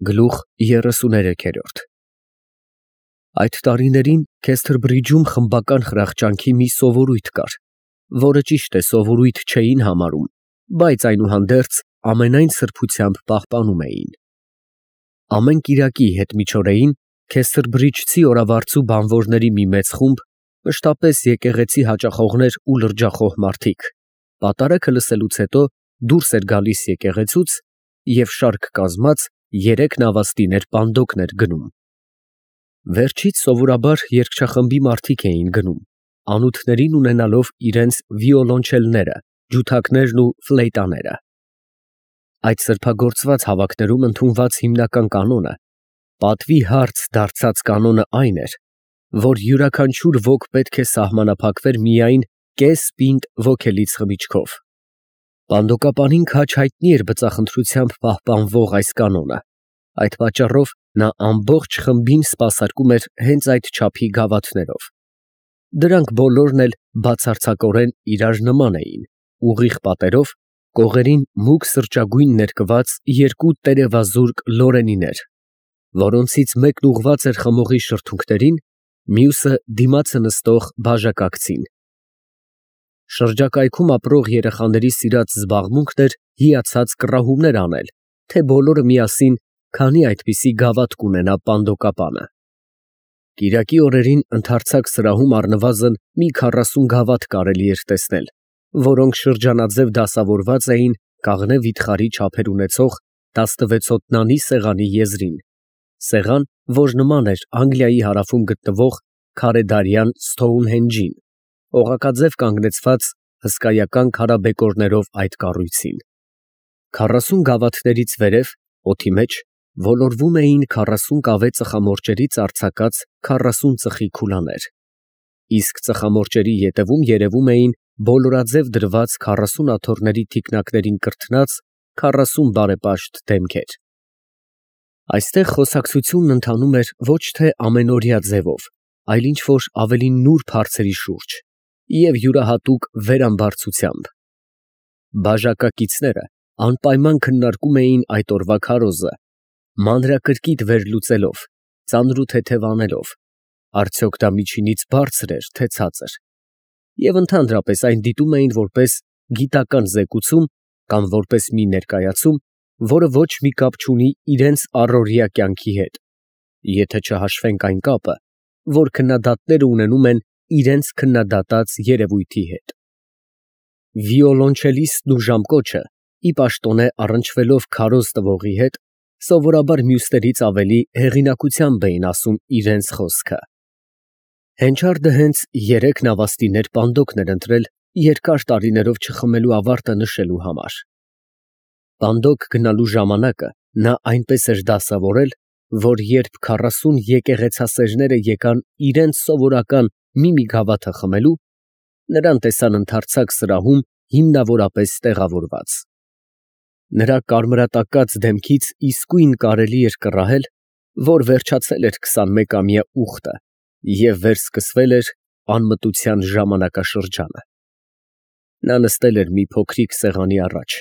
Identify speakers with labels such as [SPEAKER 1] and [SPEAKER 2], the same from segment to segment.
[SPEAKER 1] Գլուխ 33 Այդ տարիներին Քեսթրբրիջում խմբական խրախճանքի մի սովորույթ կար, որը ճիշտ է սովորույթ չէին համարում, բայց այնուհանդերձ ամենայն սրբությամբ պահպանում էին։ Ամեն կիրակի հետմիջօրեին Քեսթրբրիջցի օրավարձու բանվորների մի մեծ խումբ, մշտապես եկեղեցի հաճախողներ ու լրջախոհ մարդիկ, պատարագը լսելուց հետո դուրս էր գալիս եկեղեցուց և շարք կազմած 3 նավաստիներ պանդոկներ գնում։ Վերջից սովորաբար երգչախմբի մարդիկ էին գնում, անոթներին ունենալով իրենց վիոլոնչելները, ջութակներն ու ֆլեյտաները։ Այդ սրբագործված հավաքներում ընդունված հիմնական կանոնը, պատվի հարց դարձած կանոնը այն էր, որ յուրաքանչյուր ոք պետք է սահմանափակվեր միայն կես պինդ ոգելից խմիչքով։ Պանդոկապանին քաջ հայտնի էր բծախնդրությամբ պահպանվող այս կանոնը, այդ պատճառով նա ամբողջ խմբին սպասարկում էր հենց այդ չափի գավաթներով։ Դրանք բոլորն էլ բացարձակորեն իրար նման էին, ուղիղ պատերով, կողերին մուգ սրճագույն ներկված 2 տերևազուրկ լորենիներ, որոնցից մեկն ուղղված էր խմողի շրթունքներին, մյուսը դիմացը նստող բաժակակցին։ Շրջակայքում ապրող երեխաների սիրած զբաղմունքն էր հիացած կռահումներ անել, թե բոլորը միասին քանի այդպիսի գավաթ կունենա պանդոկապանը։ Կիրակի օրերին ընդարձակ սրահում առնվազն մի 40 գավաթ կարելի էր տեսնել, որոնք շրջանաձև դասավորված էին կաղնե վիթխարի չափեր ունեցող 16 ոտնանի սեղանի եզրին, սեղան, որ նման էր Անգլիայի հարավում գտնվող քարեդարյան Սթոունհենջին, օղակաձև կանգնեցված հսկայական քարաբեկորներով այդ կառույցին։ 40 գավաթներից վերև, օդի մեջ, ոլորվում էին 40 կավե ծխամորճերից արձակած 40 ծխի քուլաներ, իսկ ծխամորճերի ետևում երևում էին բոլորաձև դրված 40 աթոռների թիկնակներին կրթնած 40 բարեպաշտ դեմքեր։ Այստեղ խոսակցությունն ընթանում էր ոչ թե ամենօրյա ձևով, այլ ինչ-որ ավելի նուրբ հարցերի շուրջ և յուրահատուկ վերամբարձությամբ։ Բաժակակիցները անպայման քննարկում էին այդ օրվա քարոզը, մանրակրկիտ վերլուծելով, ծանր ու թեթև անելով, արդյոք դա միջինից բարձր էր, թե ցածր, և ընդհանրապես այն դիտում էին որպես գիտական զեկուցում կամ որպես մի ներկայացում, որը ոչ մի կապ չունի իրենց առօրյա կյանքի հետ, եթե չհաշվենք այն կապը, որ քննադատները ունենում են իրենց քննադատած երևույթի հետ։ Վիոլոնչելիստն ու ժամկոչը, ի պաշտոնե առնչվելով քարոզ տվողի հետ, սովորաբար մյուսներից ավելի հեղինակությամբ էին ասում իրենց խոսքը։ Հենչարդը հենց 3 նավաստիներ պանդոկն էր ընտրել երկար տարիներով չխմելու ավարտը նշելու համար։ Պանդոկ գնալու ժամանակը նա այնպես էր դասավորել, որ երբ 40 եկեղեցասերները եկան իրենց սովորական մի գավաթը խմելու, նրան տեսան ընդարձակ սրահում հիմնավորապես տեղավորված։ Նրա կարմրատակած դեմքից իսկույն կարելի էր կռահել, որ վերջացել էր 21-ամյա ուխտը և վերսկսվել էր անմտության ժամանակաշրջանը։ Նա նստել էր մի փոքրիկ սեղանի առաջ,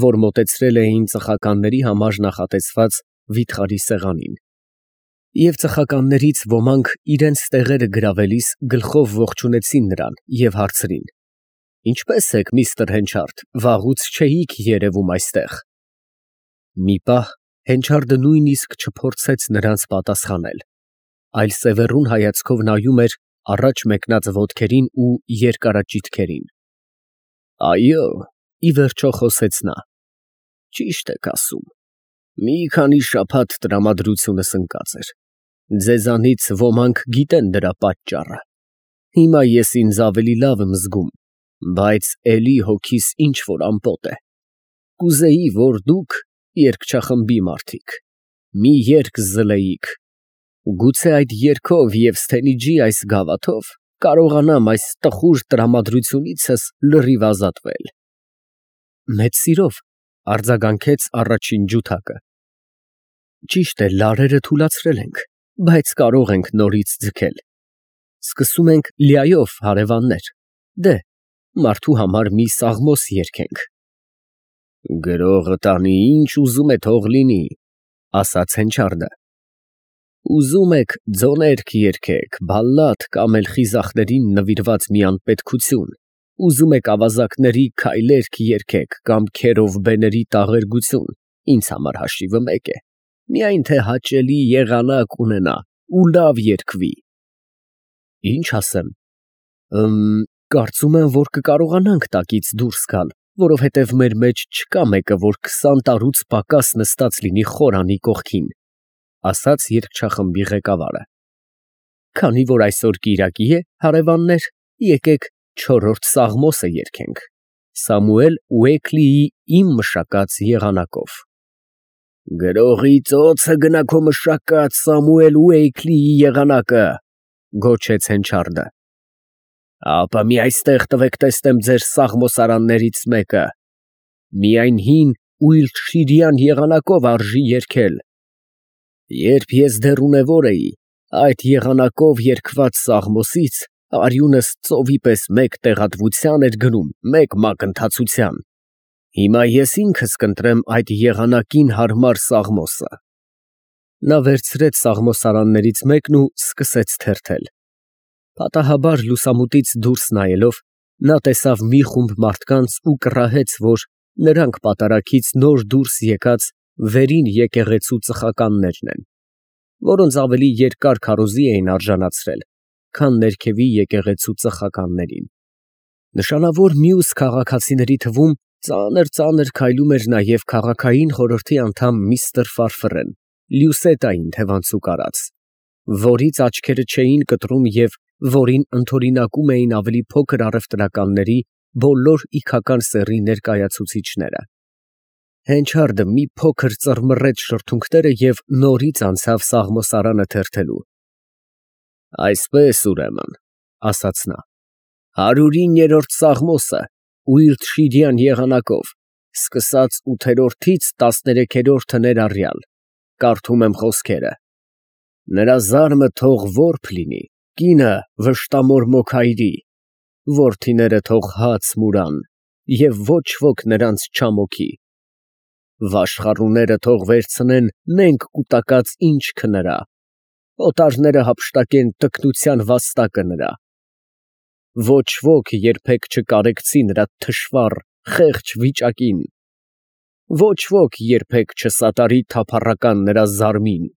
[SPEAKER 1] որ մոտեցրել էին ծխականների համար նախատեսված վիթխարի սեղանին, և ծխականներից ոմանք իրենց տեղերը գրավելիս գլխով ողջունեցին նրան և հարցրին. «Ինչպե՞ս եք, միստր Հենչարդ, վաղուց չէիք երևում այստեղ»։ Մի պահ Հենչարդը նույնիսկ չփորձեց նրանց պատասխանել, այլ սևեռուն հայացքով նայում էր առաջ մեկնած ոտքերին ու երկարաճիթքերին։ «Այո», ի վերջո խոսեց նա, «ճիշտ եք ասում, մի քանի շաբաթ տրամադրությունս ընկած էր, ձեզանից ոմանք գիտեն դրա պատճառը, հիմա ես ինձ ավելի լավ եմ զգում, բայց էլի հոգիս ինչ֊որ ամպոտ է, կուզեի, որ դուք, երգչախմբի մարդիկ, մի երգ զլեիք, գուցե այդ երգով և Սթենիջի այս գավաթով կարողանամ այս տխուր տրամադրությունիցս լրիվ ազատվել»։ Մեծ սիրով, արձագանքեց առաջին ջութակը։ Ճիշտ է, լարերը թուլացրել ենք, բայց կարող ենք նորից ձգել։ Սկսում ենք լյայով, հարևաններ, դե, մարդու համար մի սաղմոս երգենք։ Գրողը տանի ինչ ուզում է թող լինի, ասաց Հենչարդը։ Ուզում եք ձոներք երգեք, բալլադ կամ էլ խիզախներին նվիրված մի անպետքություն, ուզում եք ավազակների քայլերք երգեք կամ քերովբեների տաղերգություն, ինձ համար հաշիվը մեկ է, միայն թե հաճելի եղանակ ունենա ու լավ երգվի։ Ինչ ասեմ, կարծում եմ, որ կկարողանանք տակից դուրս գալ, որովհետև մեր մեջ չկա մեկը, որ 20 տարուց պակաս նստած լինի խորանի կողքին, ասաց երգչախմբի ղեկավարը։ Քանի որ այսօր կիրակի է, հարևաններ, եկեք 4-րդ Սաղմոսը երգենք, Սամուել Ուեքլիի Իմ մշակած եղանակով։ Գրողի ծոցը գնա քո մշակած Սամուել Ուեքլիի եղանակը, գոչեց Հենչարդը։ Ապա մի այստեղ տվեք տեսնեմ ձեր սաղմոսարաններից մեկը, միայն հին Ուիլտշիրյան եղանակով արժի երգել։ Երբ ես դեռ ունևոր էի, այդ եղանակով երգված Սաղմոսից արյունս ծովի պես մեկ տեղատվության էր գնում, մեկ մակընթացության։ Հիմա ես ինքս կընտրեմ այդ եղանակին հարմար Սաղմոսը։ Նա վերցրեց սաղմոսարաններից մեկն ու սկսեց թերթել։ Պատահաբար լուսամուտից դուրս նայելով, նա տեսավ մի խումբ մարդկանց ու կռահեց, որ նրանք պատարագից նոր դուրս եկած վերին եկեղեցու ծխականներն են, որոնց ավելի երկար քարոզի էին արժանացրել, քան ներքևի եկեղեցու ծխականներին։ Նշանավոր մյուս քաղաքացիների թվում ծանր քայլում էր նաև քաղաքային խորհրդի անդամ միստր Ֆարֆրեն, Լյուսետային թևանցուկ արած, որից աչքերը չէին կտրում և որին ընդօրինակում էին ավելի փոքր առևտրականների բոլոր իգական սեռի ներկայացուցիչները։ Հենչարդը մի փոքր ծռմռեց շրթունքները և նորից անցավ սաղմոսարանը թերթելու։ Այսպես ուրեմն, ասաց նա, 109-րդ Սաղմոսը Ուիլտշիրյան եղանակով, սկսած 8-րդից 13-րդը ներառյալ, կարդում եմ խոսքերը։ Նրա զարմը թող որբ լինի, կինը վշտամոր մոքայրի, որդիները թող հաց մուրան, և ոչ ոք նրանց չամոքի։ Վաշխառուները թող վերցնեն նենգ կուտակած ինչքը նրա, օտարները հափշտակեն տկնության վաստակը նրա։ Ոչ ոք երբեք չկարեկցի նրա թշվառ, խեղճ վիճակին, ոչ ոք երբեք չսատարի թափառական նրա զարմին։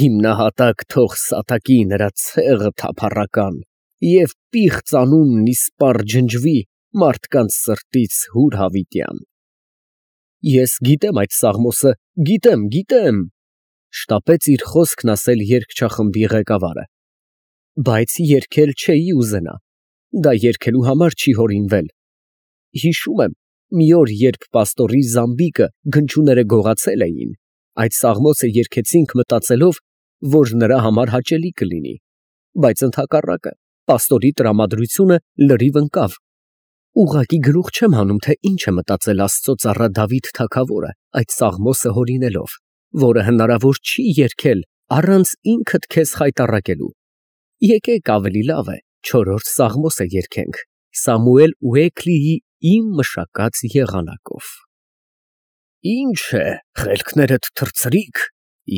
[SPEAKER 1] Հիմնահատակ թող սատակի նրա ցեղը թափառական, և պիղծ անունն իսպառ ջնջվի մարդկանց սրտից հուր հավիտյան։ Ես գիտեմ այդ Սաղմոսը, գիտեմ, շտապեց իր խոսքն ասել երգչախմբի ղեկավարը, բայց երգել չէի ուզենա, դա երգելու համար չի հորինվել։ Հիշում եմ, մի օր, երբ պաստորի զամբիկը գնչուները գողացել էին, այդ Սաղմոսը երգեցինք մտածելով, որ նրա համար հաճելի կլինի, բայց ընդհակառակը պաստորի տրամադրությունը լրիվ ընկավ։ Ուղղակի գլուխ չեմ հանում, թե ինչ է մտածել Աստծո ծառա Դավիթ թագավորը այդ Սաղմոսը հորինելով, որը հնարավոր չի երգել առանց ինքդ քեզ խայտառակելու։ Եկեք ավելի լավ է 4-րդ Սաղմոսը երգենք Սամուել Ուեքլիի Իմ մշակած եղանակով։ Ինչ է, խելքներդ թռցրիք,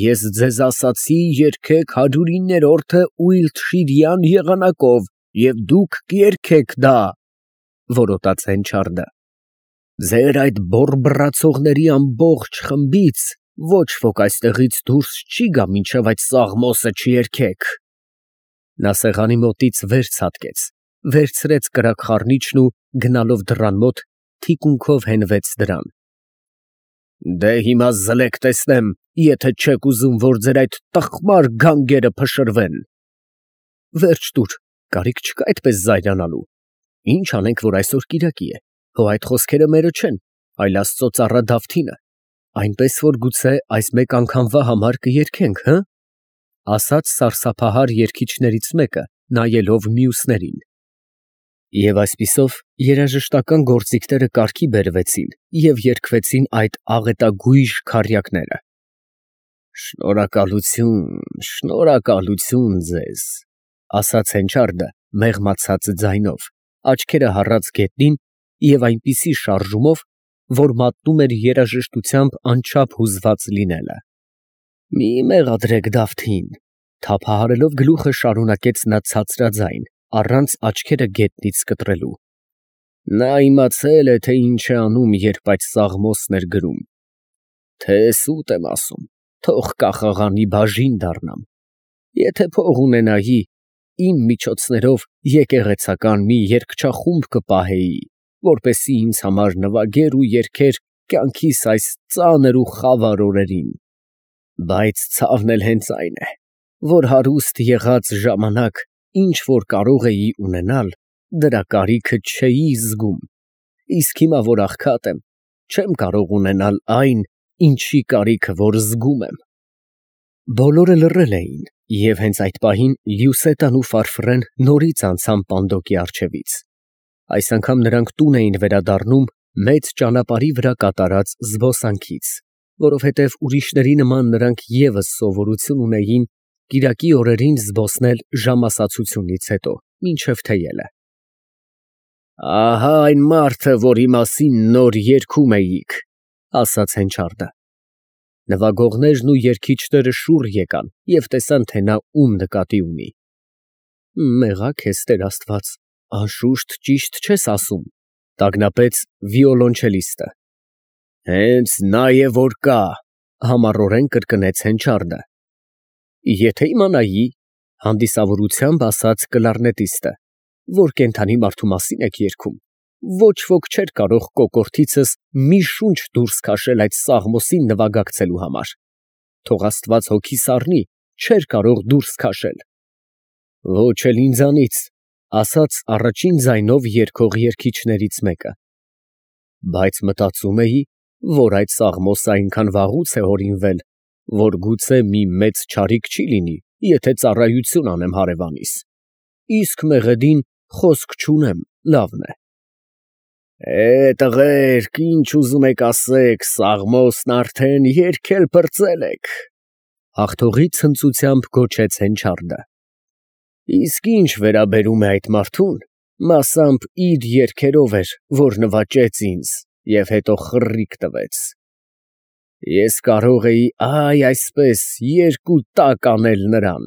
[SPEAKER 1] ես ձեզ ասացի երգեք 109-րդը Ուիլտշիրյան եղանակով, և դուք կերգեք դա, որոտաց Հենչարդը։ Ձեր այդ բոռբռացողների ամբողջ խմբից ոչ ոք այստեղից դուրս չի գա, մինչև այդ Սաղմոսը չերգեք։ Նա սեղանի մոտից վեր ցատկեց, վերցրեց կրակ խառնիչն ու գնալով դռան մոտ թիկունքով հենվեց դրան։ Դե հիմա զլեք տեսնեմ, եթե չեք ուզում, որ ձեր այդ տխմար գանգերը փշրվեն։ Վերջ տուր, կարիք չկա այդպես զայրանալու։ Ինչ անենք, որ այսօր կիրակի է, հո այդ խոսքերը մերը չեն, այլ Աստծո ծառա Դավթինը, այնպես որ գուցե այս մեկ անգամվա համար կերգենք, հը՞, ասաց սարսափահար երգիչներից մեկը, նայելով մյուսներին։ Եվ այսպիսով երաժշտական գործիքները կարգի բերվեցին և երգվեցին այդ աղետագույժ քառյակները։ Շնորհակալություն ձեզ, ասաց Հենչարդը մեղմացած ձայնով, աչքերը հառած գետնին և այնպիսի շարժումով, որ մատնում էր երաժշտությամբ անչափ հուզված լինելը։ Մի մեղադրեք Դավթին, թափահարելով գլուխը շարունակեց նա ցածրաձայն, առանց աչքերը գետնից կտրելու։ Նա իմացել է, թե ինչ է անում, երբ այդ սաղմոսն էր գրում։ Թե սուտ եմ ասում, թող կախաղանի բաժին դառնամ։ Եթե փող ունենայի, իմ միջոցներով եկեղեցական մի երգչախումբ կպահեի, որպեսզի ինձ համար նվագեր ու երգեր կյանքիս այս ծանր ու խավար օրերին։ Բայց ցավն էլ հենց այն է, որ հարուստ եղած ժամանակ ինչ որ կարող էի ունենալ, դրա կարիքը չէի զգում, իսկ հիմա որ աղքատ եմ, չեմ կարող ունենալ այն, ինչի կարիքը որ զգում եմ։ Բոլորը լռել էին, և հենց այդ պահին Լյուսետան ու Ֆարֆրեն նորից անցան Պանդոկի առջևից։ Այս անգամ նրանք տուն էին վերադառնում մեծ ճանապարհի վրա կատարած զբոսանքից, որովհետև ուրիշների նման նրանք ևս սովորություն ունեին կիրակի օրերին զբոսնել ժամասացությունից հետո, մինչև թեյելը։ Ահա այն մարդը, որի մասին նոր երգում էիք, ասաց Հենչարդը։ Նվագողներն ու երգիչները շուռ եկան և տեսան, թե նա ում նկատի ունի։ Մեղա քեզ, Տեր Աստված, անշուշտ ճիշտ չես ասում, տագնապեց վիոլոնչելիստը։ Հենց նա է որ կա, համառորեն կրկնեց Հենչարդը։ Եթե իմանայի, հանդիսավորությամբ ասաց կլարնետիստը, որ կենդանի մարդու մասին եք երգում, ոչ ոք չէր կարող կոկորդիցս մի շունչ դուրս քաշել այդ սաղմոսին նվագակցելու համար։ Թող Աստված հոգիս առնի, չէր կարող դուրս քաշել։ Ոչ էլ ինձանից, ասաց առաջին ձայնով երգող երգիչներից մեկը։ Բայց մտածում էի, որ այդ սաղմոսը այնքան վաղուց է հորինվել, որ գուցե մի մեծ չարիք չի լինի, եթե ծառայություն անեմ հարևանիս։ Իսկ մեղեդին խոսք չունեմ, լավն է։ Տղերք, ինչ ուզում եք ասեք, սաղմոսն արդեն երգել պրծել եք, հաղթողի ցնծությամբ գոչեց Հենչարդը։ Իսկ ինչ վերաբերում է այդ մարդուն, մասամբ իր երգերով էր, որ նվաճեց ինձ և հետո խռիվ տվեց։ Ես կարող էի այսպես երկու տակ անել նրան,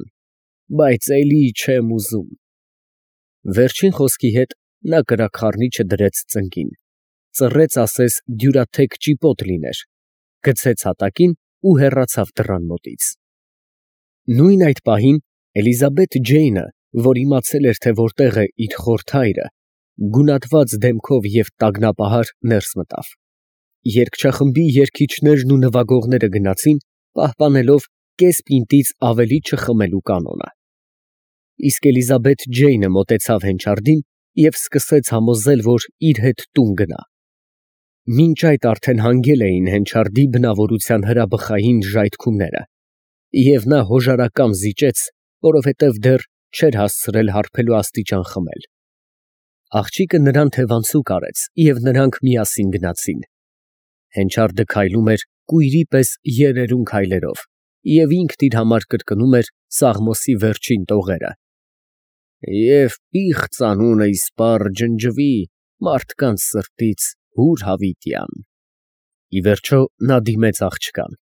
[SPEAKER 1] բայց էլի չեմ ուզում։ Վերջին խոսքի հետ նա կրակխառնիչը դրեց ծնկին, ծռեց ասես դյուրաթեք ճիպոտ լիներ, գցեց հատակին ու հեռացավ դռան մոտից։ Նույն այդ պահին Էլիզաբեթ Ջեյնը, որ իմացել էր, թե որտեղ է իր խորթայրը, գունատված դեմքով և տագնապահար ներս մտավ։ Երգչախմբի երգիչներն ու նվագողները գնացին, պահպանելով կես պինտից ավելի չխմելու կանոնը։ Իսկ Էլիզաբեթ Ջեյնը մոտեցավ Հենչարդին և սկսեց համոզել, որ իր հետ տուն գնա։ Մինչ այդ արդեն հանգել էին Հենչարդի բնավորության հրաբխային ժայթքումները, և նա հոժարակամ զիջեց, որովհետև դեռ չէր հասցրել հարբելու աստիճան խմել։ Աղջիկը նրան թևանցուկ արեց, և նրանք միասին գնացին։ Հենչարդը քայլում էր կույրի պես երերուն քայլերով և ինքն իր համար կրկնում էր սաղմոսի վերջին տողերը. Եվ պիղծ անունը իսպառ ջնջվի մարդկանց սրտից հուր հավիտյան։ Ի վերջո նա դիմեց աղջկան.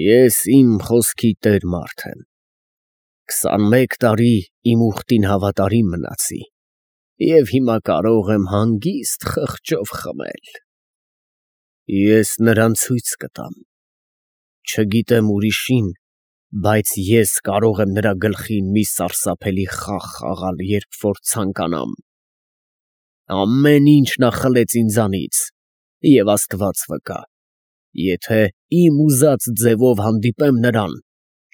[SPEAKER 1] Ես իմ խոսքի տեր մարդ եմ։ 21 տարի իմ ուխտին հավատարիմ մնացի և հիմա կարող եմ հանգիստ խղճով խմել։ Ես նրան ցույց կտամ։ Չգիտեմ ուրիշին, բայց ես կարող եմ նրա գլխին մի սարսափելի խաղ խաղալ, երբ որ ցանկանամ։ Ամեն ինչ նա խլեց ինձանից, և Աստված վկա, եթե իմ ուզած ձևով հանդիպեմ նրան,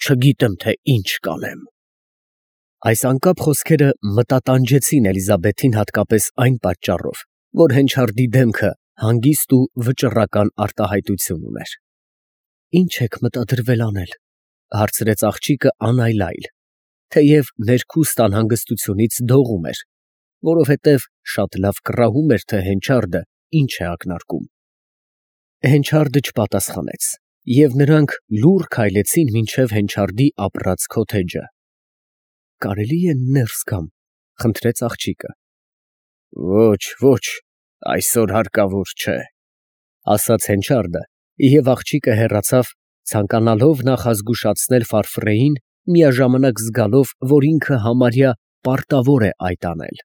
[SPEAKER 1] չգիտեմ, թե ինչ կանեմ։ Այս անկապ խոսքերը մտատանջեցին Էլիզաբեթին հատկապես այն պատճառով, որ Հենչարդի դեմքը հանգիստ ու վճռական արտահայտություն ուներ։ Ինչ եք մտադրվել անել, հարցրեց աղջիկը անայլայլ, թեև ներքուստ անհանգստությունից դողում էր, որովհետև շատ լավ կռահում էր, թե Հենչարդը ինչ է ակնարկում։ Հենչարդը չպատասխանեց, և նրանք լուռ քայլեցին մինչև Հենչարդի ապրած քոթեջը։ Կարելի է ներս գամ, խնդրեց աղջիկը։ Ոչ, այսօր հարկավոր չէ, ասաց Հենչարդը, և աղջիկը հեռացավ, ցանկանալով նախազգուշացնել Ֆարֆրեին, միաժամանակ զգալով, որ ինքը համարյա պարտավոր է այդ անել։